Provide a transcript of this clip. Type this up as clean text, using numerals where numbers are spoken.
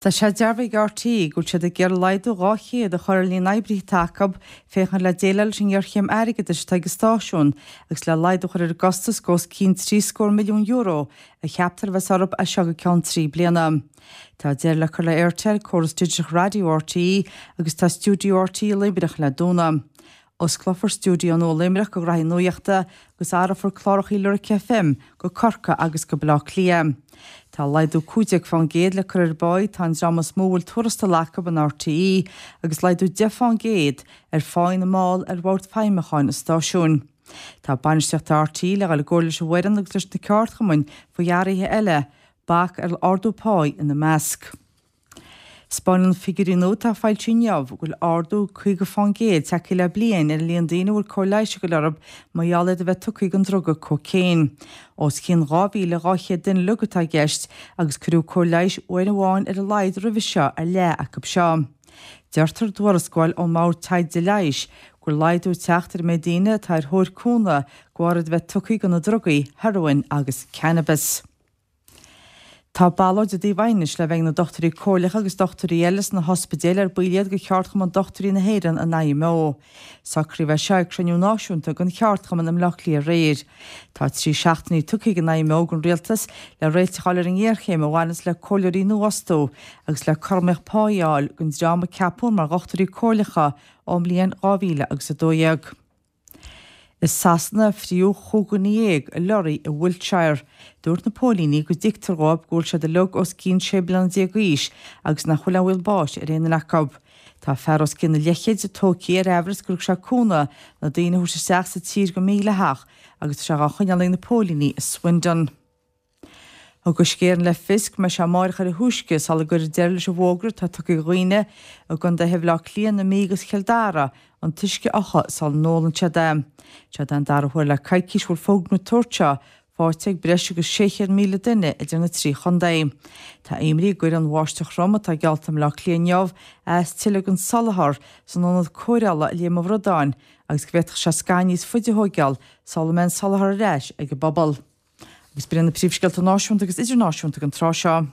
Tá sé dearbhaithe ag RTÉ go bhfuil siad ag iarraidh laghdú 200 a chur ar líon na n-oibrithe atá acu féachaint le déileáil leis an ngéarchéim airgeadais atá ag an stáisiún agus le laghdú a chur ar an gcostas go os cionn €30 scór milliún a cheaptar a bheas orthu as seo go ceann 3 bliana. Tá deireadh le cur le Aertel, córas digiteach raidió RTÉ agus tá stiúideo RTÉ i Luimneach le dúnadh. Osclófar stiúideo nua i Luimneach do ghraithí nuachta agus athrófar clárachaí Lyric FM go Corcaigh agus go Baile Átha Cliath. Tá laghdú 15% le cur ar an bpáí atá an dream is mó a bhfuil tuarastal acu in RTÉ agus laghdú 10% ar pháí na mball ar Bhord Feidhmiúcháin an stáisiúin. Tá bainistíocht RTÉ le dhul i gcomhairle leis an bhfoireann agus leis na ceardchumainn faoi athruithe eile, bac ar ardú páí ina measc. 'Spáineann figiúirí nua atá foilsithe inniu go bhfuil ardú 50% tagtha le bliain ar an líon daoine a bhfuil cóir leighis ag dul orthu mar gheall iad a bheith tugtha don druga cócaon. Os cionn 2,200 duine uilig atá i gceist agus cuireadh cóir leighis uair amháin ar a laghad roimhe seo ar leath acu seo. Deirtear i dtuarascáil ón mBord Taighde Leighis go bhfuil laghdú ag teacht ar an méid daoine atá ar thóir cúnamh de bharr iad a bheith tugtha do na drugaí, hearóin agus cannabis. Tá ballóid i dtaobh aighnis le bheith ag na dochtúirí comhairleacha agus dochtúirí eile sna hospidéil ar baill iad de Cheardchumann Dochtúirí na hÉireann, an IMO. Socraíodh é seo ag cruinniú náisiúnta den cheardchumann i mBleá Cliath aréir. Tá 3 seachtainí tugtha ag an IMO don Rialtas le réiteach a fháil ar an ngéarchéim a bhaineanns le comhairleoirí nua a fhostú agus le cothromaíocht páí a fháil don dream a ceapadh mar dhochtúirí comhairleacha ón mbliain 2012. I Sasana, fríodh chúig dhuine dhéag i lorraí i Wiltshire. Dúirt na póilíní go dtuigtear dhóibh go bhfuil siad uilig os cionn 16 bliana d'aois agus nach bhfuil aon bhaol báis ar aon duine acu. Tá fear os cionn a leithchéid tógtha ar aimhreas gur thug sé cúnamh na daoine a thabhairt isteach sa tír go mídhleathach agus tá sé dhá choinneáil ag na póilíní i Swindon. Thug Uisce Éireann le fios go mbeidh sé amáireach ar a thúisce sula gcuirfear deireadh leis an bhfógra atá tugtha do dhaoine i gcontaetha Bhaile Átha Cliath, na Mí agus Chill Dara an t-uisce a fhiuchadh sula n-ólann siad é. Seod é an dara huair le coicís go bhfuil fógra den tsórt seo faighte ag breis agus 600,000 duine idir na trí chontae. Tá imní go gcuirfidh an bháisteach throm atá geallta i mBleá Cliath inniu as tuilleadh don soláthar san ionad cóireála i Léim an Bhradáin agus go bhféadfadh sé scaitheamh níos faide a thóigeáil sula mbeidh an soláthar ar ais ag an bpobal. Agus b'in iad na príomhscéalta náisiúnta agus idirnáisiúnta don tráth seo.